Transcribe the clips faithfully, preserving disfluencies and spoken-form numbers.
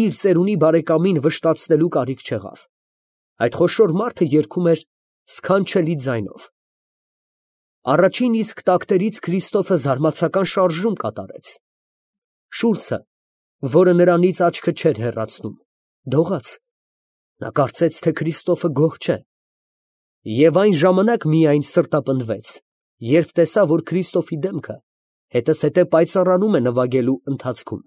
իր ծերունի բարեկամին վշտացնելու կարիք չեղավ. այդ խոշոր մարդը երգում էր սքանչելի ձայնով։ Առաջին իսկ տակտերից Քրիստոֆը զարմացական շարժում կատարեց։ Շուլցը, որը նրանից աչքը չէր հեռացնում, դողաց. նա կարծեց, թե Քրիստոֆը գոհ չէ, և այն ժամանակ միայն սրտապնդվեց, երբ տեսավ, որ Քրիստոֆի դեմքը հետզհետե պայծառանում է նվագելու ընթացքում։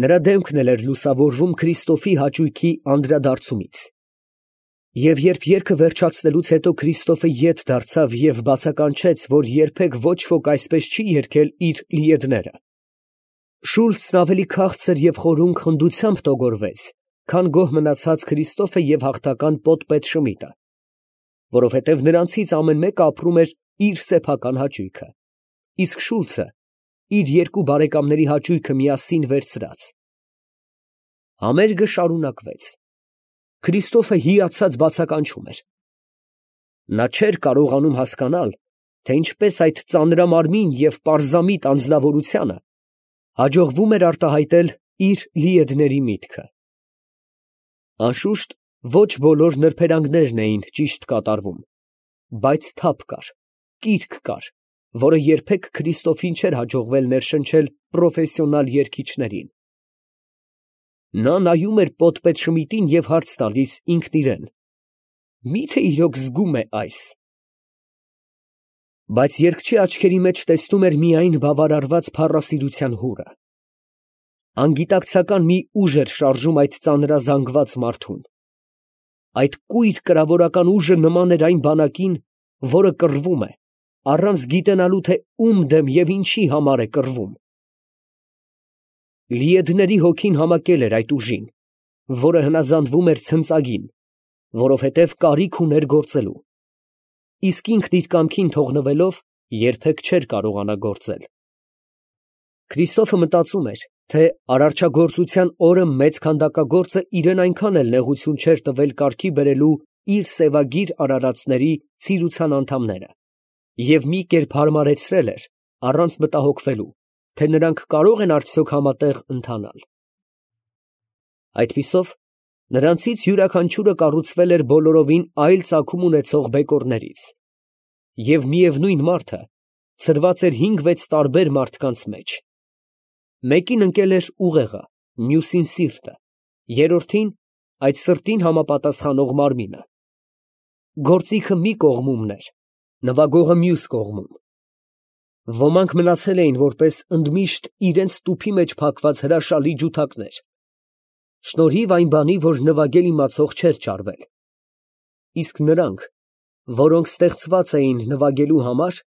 Նրա դեմքն էլ էր լուսավորվում Քրիստոֆի հաճույքի անդրադարձումից։ Եվ երբ երգը վերջացնելուց հետո Քրիստոֆը ետ դարձավ և բացականչեց, որ երբեք ոչ ոք այսպես չի երգել իր լիեդները, Շուլցն ավելի քաղցր և խորուն խնդությամբ տոգորվեց, քան գոհ մնացած Քրիստոֆը և հաղթական պոտպետ Շմիդը, որովհետև նրանցից ամեն մեկը ապրում էր իր սեփական հաճույքը, իսկ Շուլցը իր երկու բարեկամների հաճույքը միասին վերցրած։ Համերգը շարունակվեց։ Քրիստոֆը հիացած բացականչում էր։ Նա չէր կարողանում հասկանալ, թե ինչպես այդ ծանրամարմին և պարզամիտ անձնավորությանը հաջողվում էր արտահայտել իր լիեդների միտքը։ Անշուշտ, ոչ բոլոր նրբերանգներն էին ճիշտ կատարվում, բայց թափ կար, կիրք կար, որը երբեք Քրիստոֆին չէր հաջողվել ներշնչել պրոֆեսիոնալ երգիչներին։ Նա նայում էր պոտպետ Շմիդին և հարց տալիս ինքն իրան. «Մի՞թե իրոք զգում է այս»։ Բայց երգչի աչքերի մեջ տեսնում էր միայն բավարարված փառասիրության հուրը։ Անգիտակցական մի ուժ էր շարժում այդ ծանրազանգված մարդուն։ Այդ կույր կրավորական ուժը նման էր այն բանակին, որը կռվում է, առանց գիտենալու, թե ում դեմ և ինչի համար է կռվում։ Լիեդների հոգին համակել էր այդ ուժին, որը հնազանդվում էր ցնծագին, որովհետև կարիք ուներ գործելու, իսկ ինքն իր կամքին թողնվելով երբեք չէր կարողանա գործել։ Քրիստոֆը մտածում էր, թե արարչագործության օրը մեծ քանդակագործը իրան այնքան էլ նեղություն չէր տվել կարգի բերելու իր սևագիր արարածների ցիրության անդամները, և մի կերպ հարմարեցրել էր, առանց մտահոգվելու, թե նրանք կարո՞ղ են արդյոք համատեղ ընթանալ։ Այդպիսով, նրանցից յուրաքանչյուրը կառուցվել էր բոլորովին այլ ծագում ունեցող բեկորներից, և միևնույն մարդը ցրված էր հինգ֊վեց տարբեր մարդկանց մեջ. մեկին ընկել էր ուղեղը, մյուսին սիրտը, երրորդին այդ սրտին համապատասխանող մարմինը։ Գործիքը մի կողմումն էր, նվագողը մյուս կողմում։ Ոմանք մնացել էին որպես ընդմիշտ իրենց տուփի մեջ փակված հրաշալի ջութակներ, շնորհիվ այն բանի, որ նվագել իմացող չէր ճարվել, իսկ նրանք, որոնք ստեղծված էին նվագելու համար,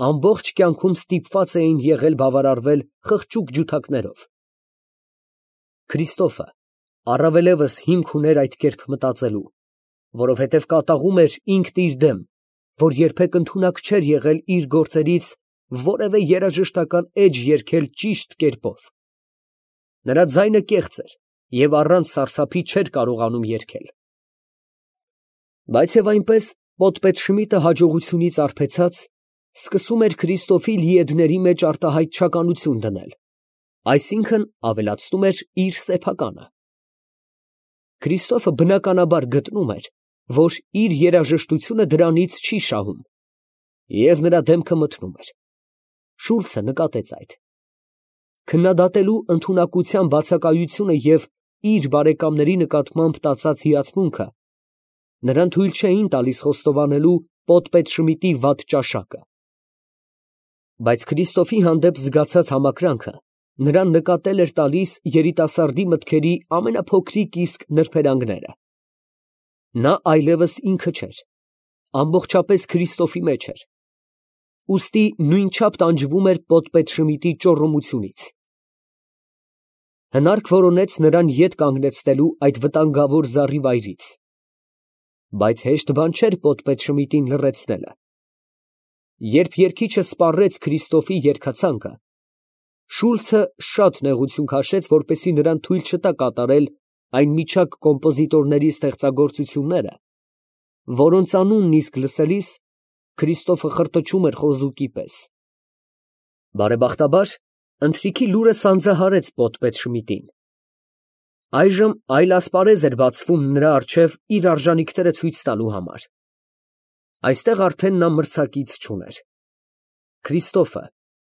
ամբողջ կյանքում ստիպված էին եղել բավարարվել խղճուկ ջութակներով։ Քրիստոֆը առավելևս հիմք ուներ այդ կերպ մտածելու, որովհետև կատաղում էր ինքն իր դեմ, որ երբեք ընդունակ չէր եղել իր գործերից որևէ երաժշտական էջ երգել ճիշտ կերպով։ Նրա ձայնը կեղծ էր և առանց սարսափի չէր կարողանում երգել։ Բայց և այնպես պոտպետ Շմիդը հաջողությունից արբեցած սկսում էր Քրիստոֆի լիեդների մեջ արտահայտչականություն դնել, այսինքն ավելացնում էր իր սեփականը։ Քրիստոֆը բնականաբար գտնում էր, որ իր երաժշտությունը դրանից չի շահում, և նրա դեմքը մթնում էր։ Շուլցը նկատեց այդ։ Քննադատելու ընդունակության բացակայությունը և իր բարեկամների նկատմամբ տածած հիացմունքը նրան թույլ չէին տալիս խոստովանելու պոտպետ Շմիդի վատ ճաշակը։ Բայց Քրիստոֆի հանդեպ զգացած համակրանքը նրան նկատել էր տալիս երիտասարդի մտքերի ամենափոքրիկ իսկ նրբերանգները։ Նա այլևս ինքը չէր, ամբողջապես Քրիստոֆի մեջ էր, ուստի նույնչափ տանջվում էր պոտպետ Շմիդի ճոռոմությունից։ Հնարք որոնեց նրան ետ կանգնեցնելու այդ վտանգավոր զառիվայրից։ Բայց հեշտ բան չէր պոտպետ Շմիդին լռեցնելը։ Երբ երգիչը սպառեց Քրիստոֆի երգացանկը, Շուլցը շատ նեղություն քաշեց, որպեսզի նրան թույլ չտա կատարել այն միջակ կոմպոզիտորների ստեղծագործությունները, որոնց անունն իսկ լսելիս Քրիստոֆը խրտչում էր խոզուկի պես։ Բարեբախտաբար, ընթրիքի լուրը սանձահարեց պոտպետ Շմիդին, Այժմ այլ ասպարեզ էր բացվում նրա առջև իր արժանիքները ցույց տալու համար։ Այստեղ արդեն նա մրցակից չուներ։ Քրիստոֆը,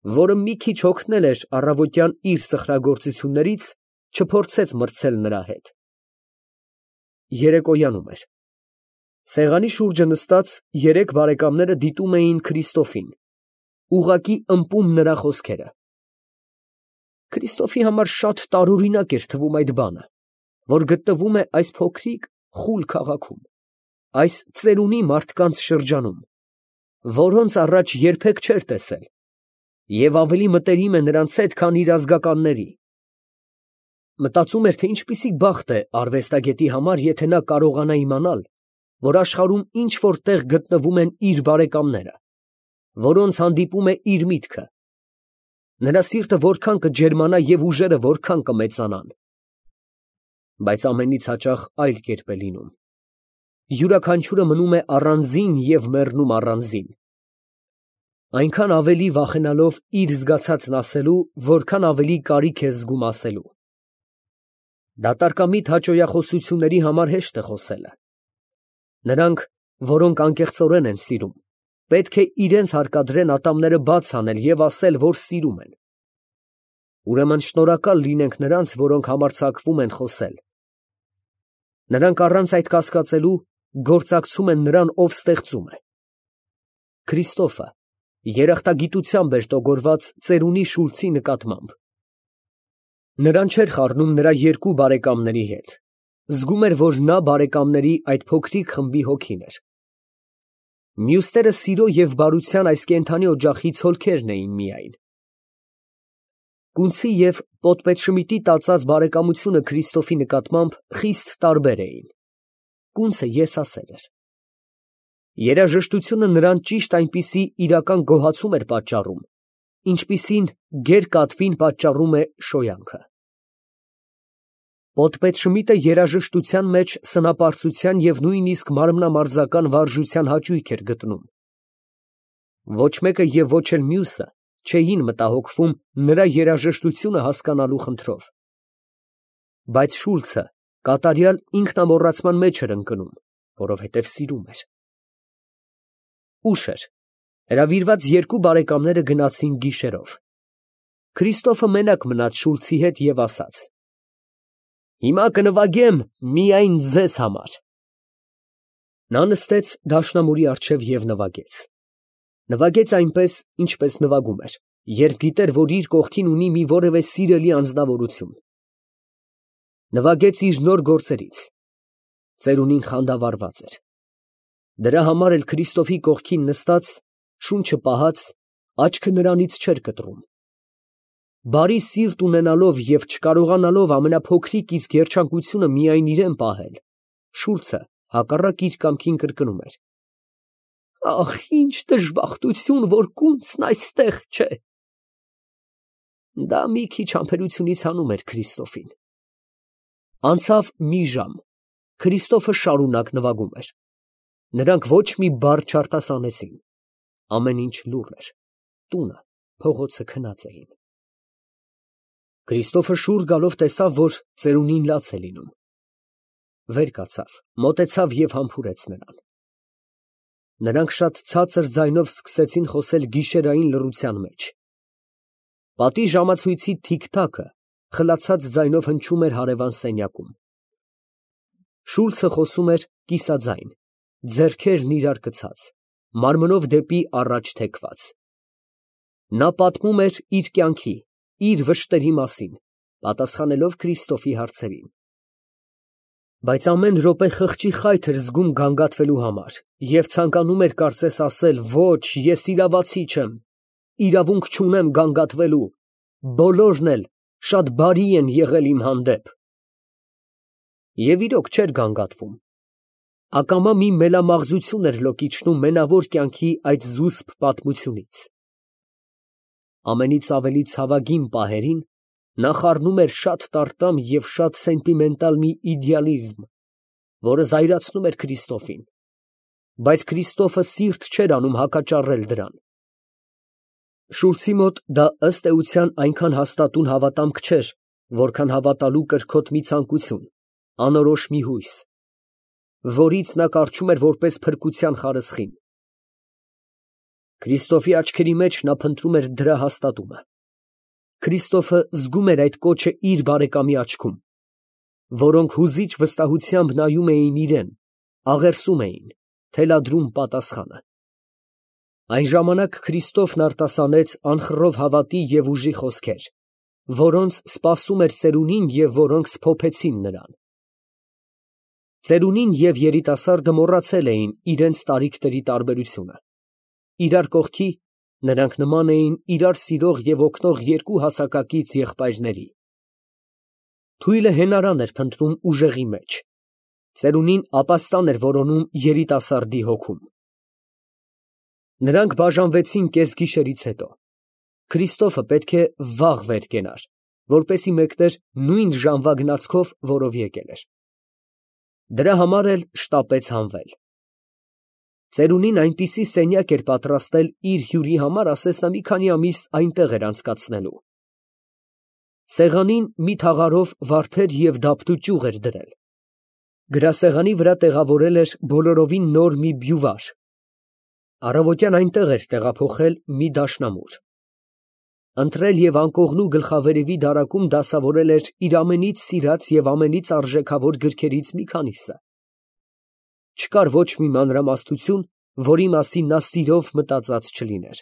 որը մի քիչ հոգնել էր առավոտյան իր սխրագործություններից, չփորձեց մրցել նրա հետ։ Երեկոյանում էր։ Սեղանի շուրջը նստած երեք բարեկամները դիտում էին Քրիստոֆին, ուղղակի ըմպում նրա խոսքերը։ Քրիստոֆի համար շատ տարօրինակ էր թվում այդ բանը, որ գտնվում է այս փոքրիկ խուլ քաղաքում, այս ծերունի մարդկանց շրջանում, որոնց առաջ երբեք չէր տեսել, և ավելի մտերիմ է նրանց հետ, քան իր ազգականների։ Մտածում էր, թե ինչպիսի բախտ է արվեստագետի համար, եթե նա կարողանա իմանալ, որ աշխարհում ինչ֊որ տեղ գտնվում են իր բարեկամները, որոնց հանդիպում է իր միտքը։ Նրա սիրտը որքան կջերմանա և ուժերը որքան կմեծանան։ Բայց ամենից հաճախ այլ կերպ է լինում։ Յուրաքանչյուրը մնում է առանձին և մեռնում առանձին, այնքան ավելի վախենալով իր զգացածն ասելու, որքան ավելի կարիք է զգում ասելու։ Դատարկամիտ հաճոյախոսությունների համար հեշտ է խոսելը։ Նրանք, որոնք անկեղծորեն են սիրում, պետք է իրենց հարկադրեն ատամները բաց անել և ասել, որ սիրում են։ Ուրեմն շնորհակալ լինենք նրանց, որոնք համարձակվում են խոսել։ Նրանք առանց այդ կասկածելու գործակցում են նրան, ով ստեղծում է։ Քրիստոֆը երախտագիտությամբ էր տոգորված ծերունի Շուլցի նկատմամբ։ Նրան չէր խառնում նրա երկու բարեկամների հետ, զգում էր, որ նա բարեկամների այդ փոքրիկ խմբի հոգին էր։ Մյուսները սիրո և բարության այս կենդանի օջախի ցոլքերն էին միայն։ Կունցի և պոդպետ տածած բարեկամությունը Քրիստոֆի նկատմամբ խիստ տարբեր էին։ Կունցը եսասեր էր։ Երաժշտությունը նրան ճիշտ այնպիսի իրական գոհացում էր պատճառում, ինչպիսին գեր֊կատվին պատճառում է շոյանքը։ Պոդպետ Շմիդտը երաժշտության մեջ սնապարծության և նույնիսկ մարմնամարզական վարժության հաճույք էր գտնում։ Ոչ մեկը և ոչ էլ մյուսը չէին մտահոգվում նրա երաժշտությունը հասկանալու խնդրով։ Բայց Շուլցը կատարյալ ինքնամոռացման մեջ էր ընկնում, որովհետև սիրում էր։ Ուշ էր։ Հրավիրված երկու բարեկամները գնացին գիշերով։ Քրիստոֆը մենակ մնաց Շուլցի հետ և ասաց. «Հիմա կնվագեմ միայն ձեզ համար»։ Նա նստեց դաշնամուրի առջև և նվագեց։ Նվագեց այնպես, ինչպես նվագում էր, երբ գիտեր, որ իր կողքին ունի մի որևէ սիրելի անձնավորություն։ Նվագեց իր նոր գործերից։ Ծերունին խանդավառված էր։ Դրա համար էլ Քրիստոֆի կողքին նստած, շունչը պահած, աչքը նրանից չէր կտրում։ Բարի սիրտ ունենալով և չկարողանալով ամենափոքրիկ իսկ երջանկությունը միայն իրան պահել, Շուլցը հակառակ իր կամքին կրկնում էր. «Ախ, ինչ դժբախտություն, որ կունցն այստեղ չէ»։ Դա մի քիչ համբերությունից հանում էր Քրիստոֆին։ Անցավ մի ժամ, Քրիստոֆը շարունակ նվագում էր։ Նրանք ոչ մի բառ չարտասանեցին։ Ամեն ինչ լուռ էր։ Տունը, փողոցը քնած էին։ Քրիստոֆը շուռ գալով տեսավ, որ ծերունին լաց է լինում։ Վեր կացավ, մոտեցավ և համբուրեց նրան։ Նրանք շատ ցածր ձայնով սկսեցին խոսել գիշերային լռության մեջ։ Պատի ժամացույցի թիք֊թաքը խլացած ձայնով հնչում էր հարևան սենյակում։ Շուլցը խոսում էր կիսաձայն, ձեռքերն իրար կցած, մարմնով դեպի առաջ թեքված։ Նա պատմում էր իր կյանքի, իր վշտերի մասին, պատասխանելով Քրիստոֆի հարցերին։ Բայց ամեն րոպե խղճի խայթ էր զգում գանգատվելու համար և ցանկանում էր կարծես ասել. «Ոչ, ես իրավացի չեմ, իրավունք չունեմ գանգատվելու, բոլորն էլ շատ բարի են եղել իմ հանդեպ»։ Եվ իրոք չէր գանգատվում։ Ակամա մի մելամաղձություն էր լոկիչնում մենավոր կյանքի այդ զուսպ պատմությունից։ Ամենից ավելի ցավագին պահերին նա խառնում էր շատ տարտամ և շատ սենտիմենտալ մի իդեալիզմ, որը զայրացնում էր Քրիստոֆին, բայց Քրիստոֆը սիրտ չէր անում հակաճառել դրան։ Շուլցի մոտ դա ըստ էության այնքան հաստատուն հավատամք չէր, որքան հավատալու կրքոտ մի ցանկություն, անորոշ մի հույս, որից նա կառչում էր որպես փրկության խարսխին։ Քրիստոֆի աչքերի մեջ նա փնտրում էր դրա հաստատումը։ Քրիստոֆը զգում էր այդ կոչը իր բարեկամի աչքում, որոնք հուզիչ վստահությամբ նայում էին իրան, աղերսում էին, թելադրում պատասխանը։ Այն ժամանակ Քրիստոֆն արտասանեց անխռով հավատի և ուժի խոսքեր, որոնց սպասում էր ծերունին և որոնք սփոփեցին նրան։ Ծերունին և երիտասարդը մոռացել էին իրենց տարիքների տարբերությունը։ Իրար կողքի նրանք նման էին իրար սիրող և օգնող երկու հասակակից եղբայրների։ Թույլը հենարան էր փնտրում ուժեղի մեջ, ծերունին ապաստան էր որոնում երիտասարդի հոգում։ Նրանք բաժանվեցին կեսգիշերից հետո։ Քրիստոֆը պետք է վաղ վեր կենար, որպեսզի մեկներ նույն ժամվա գնացքով, որով եկել էր։ Դրա համար էլ շտապեց հանվել։ Ծերունին այնպիսի սենյակ էր պատրաստել իր հյուրի համար, ասես նա մի քանի ամիս այնտեղ էր անցկացնելու։ Սեղանին մի թաղարով վարդեր և դափնու ճյուղ էր դրել։ Գրասեղանի վրա տեղավորել էր բոլորովին նոր մի բյուվար։ Առավոտյան այնտեղ էր տեղափոխել մի դաշնամուր։ Ընտրել և անկողնու գլխավերևի դարակում դասավորել էր իր ամենից սիրած և ամենից արժեքավոր գրքերից մի քանիսը։ Չկար ոչ մի մանրամասնություն, որի մասին նա սիրով մտածած չլիներ։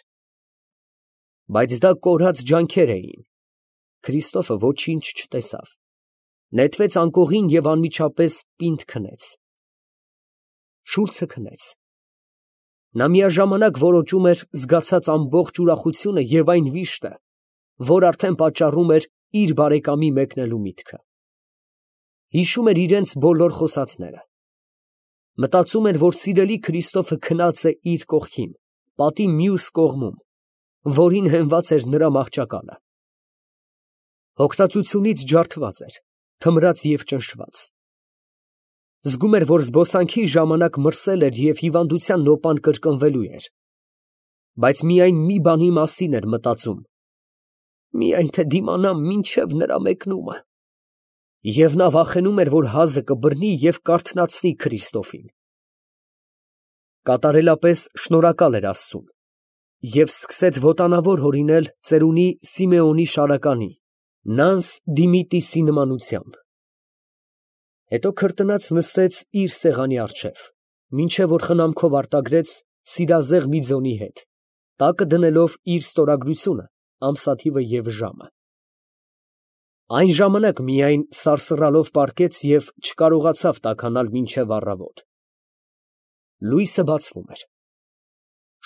Բայց դա կորած ջանքեր էին։ Քրիստոֆը ոչինչ չտեսավ։ Նետվեց անկողին և անմիջապես պինդ քնեց։ Շուլցը քնեց։ Նա միաժամանակ որոճում էր զգացած ամբողջ ուրախությունը և այն վիշտը, որ արդեն պատճառում էր իր բարեկամի մեկնելու միտքը։ Հիշում էր իրենց բոլոր խոսածները։ Մտածում էր, որ սիրելի Քրիստոֆը քնած է իր կողքին, պատի մյուս կողմում, որին հենված էր նրա մահճակալը։ Հոգտածությունից ջարդված էր, թմրած և ճնշված։ Զգում էր, որ զբոսանքի ժամանակ մրսել էր և հիվանդության նոպան կրկնվելու էր։ Բայց միայն մի բանի մասին էր մտածում. միայն թե դիմանամ մինչև նրա մեկնումը։ Եվ նա վախենում էր, որ հազը կբռնի և կարթնացնի Քրիստոֆին։ Կատարելապես շնորհակալ էր Աստծուն և սկսեց ոտանավոր հորինել ծերունի Սիմեոնի շարականի, Նանս Դիմիտիսի նմանությամբ։ Հետո քրտնած նստեց իր սեղանի առջև, մինչև որ խնամքով արտագրեց սիրազեղ մի ձոնի հետ, տակը դնելով իր ստորագրությունը, ամսաթիվը և ժամը։ Այն ժամանակ միայն սարսռալով պառկեց և չկարողացավ տաքանալ մինչև առավոտ։ Լույսը բացվում էր։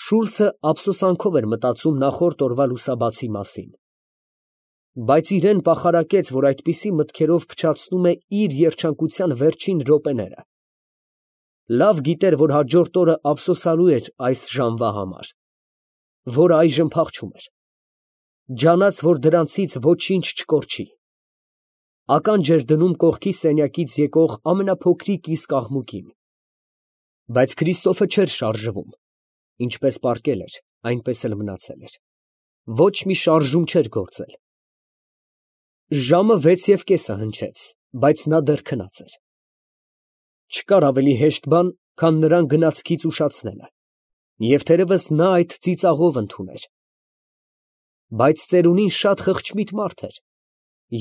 Շուլցը ափսոսանքով էր մտածում նախորդ օրվա լուսաբացի մասին։ Բայց իրան պախարակեց, որ այդպիսի մտքերով փչացնում է իր երջանկության վերջին րոպեները։ Լավ գիտեր, որ հաջորդ օրը ափսոսանալու էր այս ժամվա համար, որը այժմ փախչում էր։ Ջանաց, որ դրանցից ոչինչ չկորչի։ Ականջ էր դնում կողքի սենյակից եկող ամենափոքրիկ իսկ աղմուկին։ Բայց Քրիստոֆը չէր շարժվում. ինչպես պառկել էր, այնպես էլ մնացել էր։ Ոչ մի շարժում չէր գործել։ Ժամը վեց և կեսը հնչեց, բայց նա դեռ քնած էր։ Չկար ավելի հեշտ բան, քան նրան գնացքից ուշացնելը, և թերևս նա այդ ծիծաղով ընդուներ։ Բայց ծերունին շատ խղճմիտ մարդ էր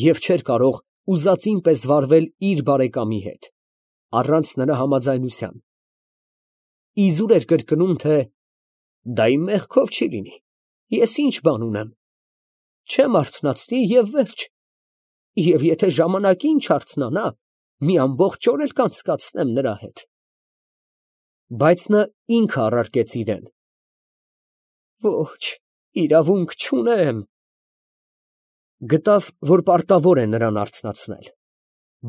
և չէր կարող ուզածին պես վարվել իր բարեկամի հետ, առանց նրա համաձայնության։ Իզուր էր կրկնում, թե դա իմ մեղքով չի լինի, ես ինչ բան ունեմ, չեմ արթնացնի և վերջ, և եթե ժամանակին չարթնանա, մի ամբողջ օր էլ կանցկացնեմ նրա հետ։ Բայց նա ինքը առարկեց իրան. «Ոչ, իրավունք չունեմ»։ Գտավ, որ պարտավոր է նրան արթնացնել։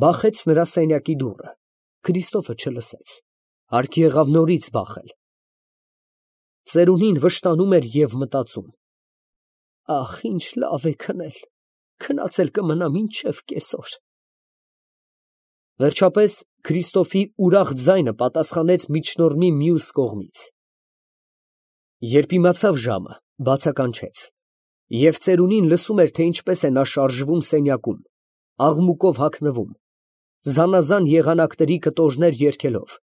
Բախեց նրա սենյակի դուռը։ Քրիստոֆը չլսեց։ Հարկ եղավ նորից բախել։ Ծերունին վշտանում էր և մտածում. «Ախ, ինչ լավ է քնել, քնած էլ կմնամ մինչև կեսօր»։ Վերջապես Քրիստոֆի ուրախ ձայնը պատասխանեց միջնորդի մյուս կողմից։ Երբ իմացավ ժամը, բացականչեց, և ծերունին լսում էր, թե ինչպես է նա շարժվում սենյակում, աղմուկով հագնվում, զանազան եղանակների կտորներ երգելով,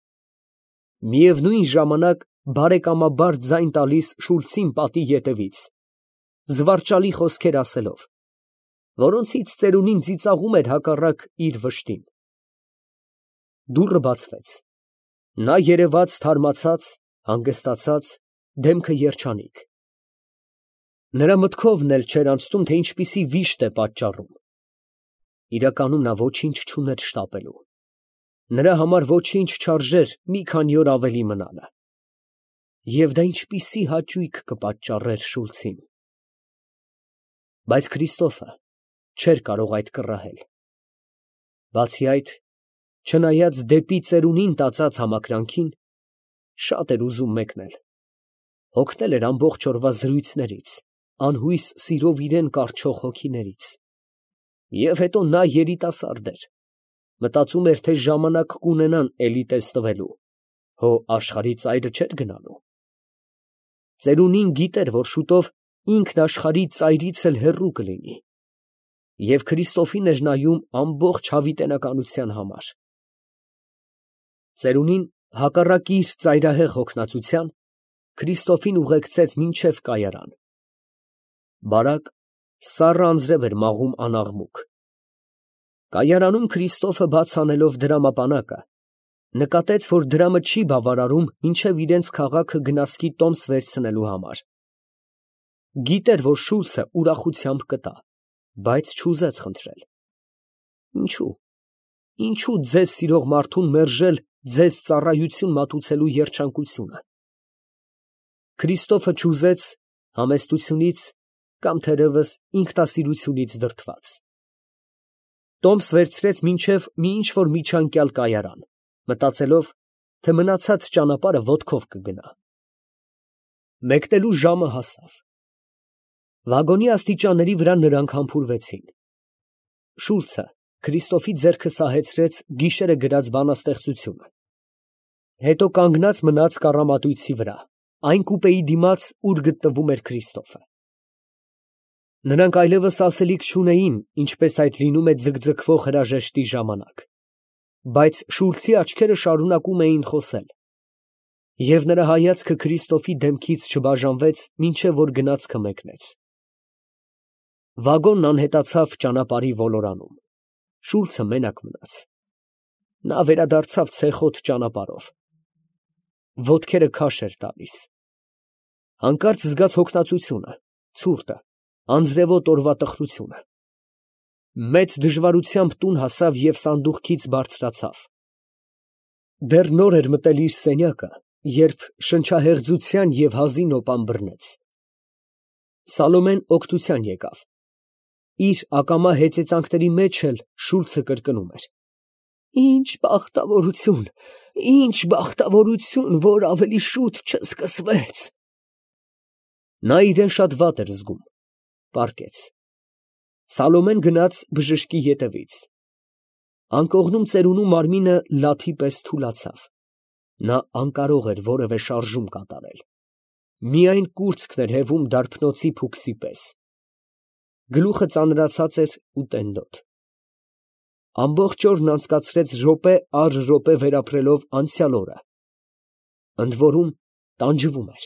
միևնույն ժամանակ բարեկամաբար ձայն տալիս Շուլցին պատի ետևից, զվարճալի խոսքեր ասելով, որոնցից ծերունին ծիծաղում էր հակառակ իր վշտին։ Դուռը բացվեց, նա երևաց թարմացած, հանգստացած, դեմքը երջանիկ։ Նրա մտքովն էլ չէր անցնում, թե ինչպիսի վիշտ է պատճառում։ Իրականում նա ոչինչ չուներ շտապելու, նրա համար ոչինչ չարժեր մի քանի օր ավելի մնալը։ Եվ դա ինչպիսի հաճույք կպատճառեր Շուլցին։ Բայց Քրիստոֆը չէր կարող այդ կռահել։ Բացի այդ, չնայած դեպի ծերունին տածած համակրանքին, շատ էր ուզում մեկնել, հոգնել էր ամբողջ օրվա զրույցներից, անհույս սիրով իրան կառչող հոգիներից։ Եվ հետո նա երիտասարդ էր, մտածում էր, թե ժամանակ կունենան էլի տեսնվելու, հո աշխարհի ծայրը չէր գնալու։ Ծերունին գիտեր, որ շուտով ինքն աշխարհի ծայրից էլ հեռու կլինի, և Քրիստոֆին էր նայում ամբողջ հավիտենականության համար։ Ծերունին, հակառակ իր ծայրահեղ հոգնածության, Քրիստոֆին ուղեկցեց մինչև կայարան։ Բարակ, սառը անձրև էր մաղում անաղմուկ։ Կայարանում Քրիստոֆը, բաց անելով դրամապանակը, նկատեց, որ դրամը չի բավարարում մինչև իրենց քաղաքը գնացքի տոմս վերցնելու համար։ Գիտեր, որ Շուլցը ուրախությամբ կտա, բայց չուզեց խնդրել։ Ինչո՞ւ, ինչո՞ւ ձեզ սիրող մարդուն մերժել ձեզ ծառայություն մատուցելու երջանկությունը։ Քրիստոֆը չուզեց համեստությունից կամ թերևս ինքնասիրությունից դրդված։ Տոմս վերցրեց մինչև մի ինչ֊որ միջանկյալ կայարան, մտածելով, թե մնացած ճանապարհը ոտքով կգնա։ Մեկնելու ժամը հասավ։ Վագոնի աստիճանների վրա նրանք համբուրվեցին։ Շուլցը Քրիստոֆի ձեռքը սահեցրեց գիշերը գրած բանաստեղծությունը։ Հետո կանգնած մնաց կառամատույցի վրա, այն կուպեի դիմաց, ուր գտնվում էր Քրիստոֆը։ Նրանք այլևս ասելիք չունեին, ինչպես այդ լինում է ձգձգվող հրաժեշտի ժամանակ, բայց Շուլցի աչքերը շարունակում էին խոսել, և նրա հայացքը Քրիստոֆի դեմքից չբաժանվեց, մինչև որ գնացքը մեկնեց։ Վագոնն անհետացավ ճանապարհի ոլորանում։ Շուլցը մենակ մնաց։ Նա վերադարձավ ցեխոտ ճանապարհով։ Ոտքերը քաշ էր տալիս։ Հանկարծ զգաց հոգնածությունը, ցուրտը, անձրևոտ օրվա տխրությունը։ Մեծ դժվարությամբ տուն հասավ և սանդուղքից բարձրացավ։ Դեռ նոր էր մտել իր սենյակը, երբ շնչահեղձության և հազի նոպան բռնեց։ Սալոմեն օգնության եկավ։ Իր ակամա հեծեծանքների մեջ էլ Շուլցը կրկնում էր. «Ինչ բախտավորություն, ինչ բախտավորություն, որ ավելի շուտ չսկսվեց»։ Նա իրան շատ վատ էր զգում, պառկեց։ Սալոմեն գնաց բժշկի ետևից։ Անկողնում ծերունու մարմինը լաթի պես թուլացավ։ Նա անկարող էր որևէ շարժում կատարել։ Միայն կուրծքն էր հևում դարբնոցի փուքսի պես։ Գլուխը ծանրացած էր ու տենդոտ։ Ամբողջ օրն անցկացրեց րոպե առ րոպե վերապրելով անցյալ օրը։ Ընդ որում տանջվում էր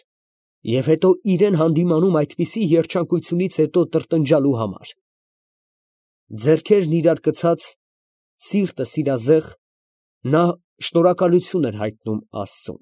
և հետո իրան հանդիմանում այդպիսի երջանկությունից հետո տրտնջալու համար։ Ձեռքերն իրար կցած, սիրտը սիրազեղ, նա շնորհակալություն էր հայտնում Աստծուն։